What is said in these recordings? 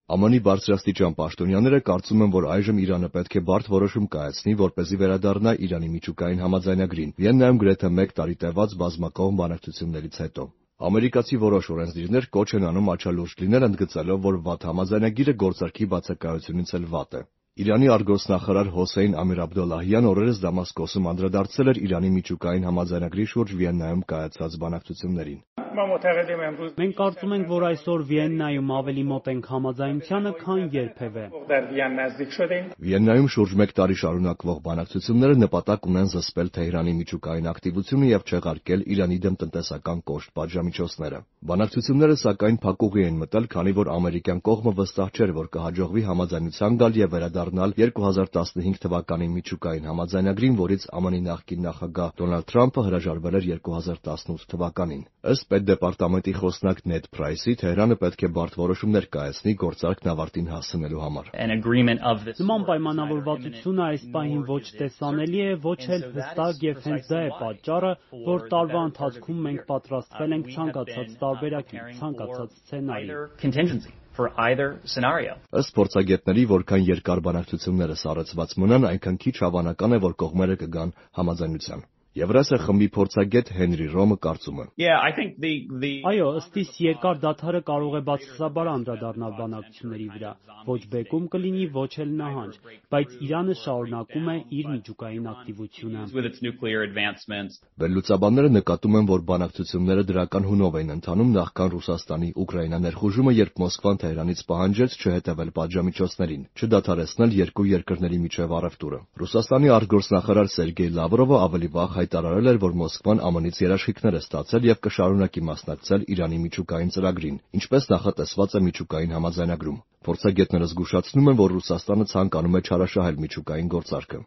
ԱՄՆ-ի բարձրաստիճան պաշտոնյաները կարծում են, որ այժմ Իրանը պետք է բարդ որոշում կայացնի, որպեսզի վերադառնա Իրանի միջուկային համաձայնագրին, Վիեննայում գրեթե 1 տարի տևած բազմակողմ բանակցություններից հետո։ Ամերիկացի որոշ օրենսդիրներ կոչ են անում աչալուրջ լինել, ընդգծելով, որ վատ համաձայնագիրը գործարքի բացակայությունից էլ վատ է։ Իրանի արտգործնախարար Հոսեյն Ամիր Աբդոլլահյան օրերս Դամասկոսում անդրադարձել էր Իրանի միջուկային համաձայնագրի շուրջ Վիեննայում կայացած բանակցություններին։ Մենք կարծում ենք, որ այսօր Վիեննայում ավելի մոտ ենք համաձայնությանը, քան երբևէ։ Վիեննայում շուրջ 1 տարի շարունակվող բանակցությունները նպատակ ունեն զսպել Թեհրանի միջուկային ակտիվությունը եւ չեղարկել Իրանի դեմ տնտեսական կոշտ պատժամիջոցները։ Բանակցությունները սակայն փակուղի են մտել, քանի որ ամերիկյան կողմը վստահ չէր, որ կհաջողվի համաձայնության գալ եւ վերադառնալ 2015 թվականի միջուկային համաձայնագրին, որից ԱՄՆ-ի նախկին նախագահ Դոնալդ Թրամփը հրաժարվել էր 2018 թվականին։ Ըստ Պետդեպարտամենտի խոսնակ Նեդ Փրայսի, Թեհրանը պետք է բարդ որոշումներ կայացնի գործարքն ավարտին հասցնելու համար։ Նման պայմանավորվածությունը այս պահին ոչ տեսանելի է, ոչ էլ հստակ եւ հենց դա է պատճառը, որ տարվա ընթացքում մենք պատրաստվել ենք ցանկացած տարբերակի, ցանկացած սցենարի։ Ըստ փորձագետների, որքան երկար բանակցությունները սառեցված մնան, այնքան քիչ հավանական է, որ կողմերը կգան համաձայնության։ Եվրասիա խմբի փորձագետ Հենրի Ռոմը կարծում է. Այո, ըստ իս երկար դադարը կարող է բացասաբար անդրադառնալ բանակցությունների վրա, ոչ բեկում կլինի, ոչ էլ նահանջ, բայց Իրանը շարունակում է իր միջուկային ակտիվությունը։ Վերլուծաբանները նկատում են, որ բանակցությունները դրական հունով էին ընթանում նախքան Ռուսաստանի Ուկրաինա ներխուժումը, երբ Մոսկվան Թեհրանից պահանջեց չհետևել պատժամիջոցներին, չդադարեցնել երկու երկրների միջև առևտուրը։ Ռուսաստանի արտգործնախարար Սերգեյ Լավրովը ավելի վաղ հայտարարել էր, որ Մոսկվան ԱՄՆ-ից երաշխիքներ է ստացել եւ կշարունակի մասնակցել Իրանի միջուկային ծրագրին, ինչպես նախատեսված է միջուկային համաձայնագրում։ Փորձագետները զգուշացնում են, որ Ռուսաստանը ցանկանում է չարաշահել միջուկային գործարքը։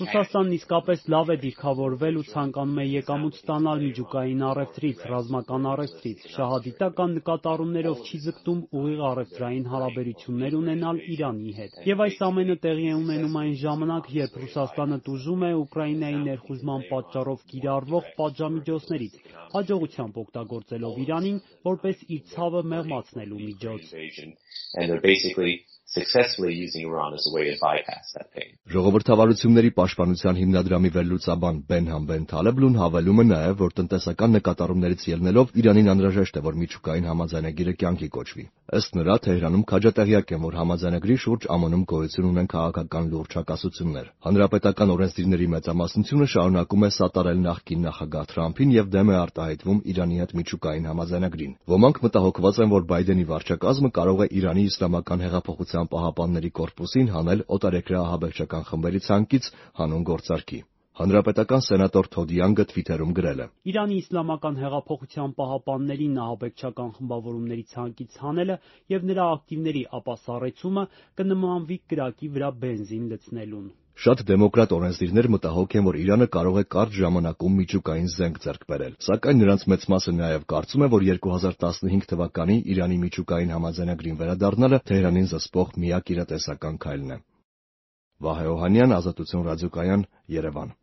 Ռուսաստանն իսկապես լավ է դիրքավորվել ու ցանկանում է եկամուտ ստանալ միջուկային առևտրից, ռազմական առևտրից, շահադիտական նկատառումներով չի ձգտում ուղիղ առևտրային հարաբերություններ ունենալ Իրանի հետ։ Եվ այս ամենը տեղի է ունենում այն ժամանակ, երբ Ռուսաստանը տուժում է Ուկրաինայի ներխուժման պատճառով կիրառվող պատժամիջոցներից, հաջողությամբ օգտագործելով Իրանին որպես իր ցավը մեղմացնելու միջոց։ Ժողովրդավարությունների պաշտպանության հիմնադրամի վերլուծաբան Բենհամ Բեն Թալեբլուն հավելում է նաև, որ տնտեսական նկատառումներից ելնելով Իրանին անհրաժեշտ է, որ միջուկային համաձայնագիրը կյանքի կոչվի։ Ըստ նրա, Թեհրանում քաջատեղյակ են, որ համաձայնագրի շուրջ ԱՄՆ-ում գոյություն ունեն քաղաքական լուրջ հակասություններ։ Հանրապետական օրենսդիրների մեծամասնությունը շարունակում է սատարել նախկին նախագահ Թրամփին եւ դեմ է արտահայտվում Իրանի հետ միջուկային համաձայնագրին։ Ոմանք մտահոգված են, որ Բայդենի վարչակազմը կարող է Իրանի Իսլամական հեղափոխության պահապանների կորպուսին հանել օտարերկրյա ահաբեկչական խմբերի ցանկից հանուն գործարքի։ Հանրապետական սենատոր Թոդ Յանգը Թվիթերում գրել է. Իրանի Իսլամական հեղափոխության պահապաններին ահաբեկչական խմբավորումների ցանկից հանելը եւ նրա ակտիվների ապասառեցումը կնմանվի կրակի վրա բենզին լցնելուն։ Շատ դեմոկրատ օրենսդիրներ մտահոգ են, որ Իրանը կարող է կարճ ժամանակում միջուկային զենք ձեռք բերել, սակայն նրանց մեծ մասը նաև կարծում է, որ 2015 թվականի Իրանի միջուկային համաձայնագրին վերադառնալը Թեհրանին զսպող միակ իրատեսական քայլն է։ Վահե Օհանյան, Ազատություն ռադիոկայան, Երևան։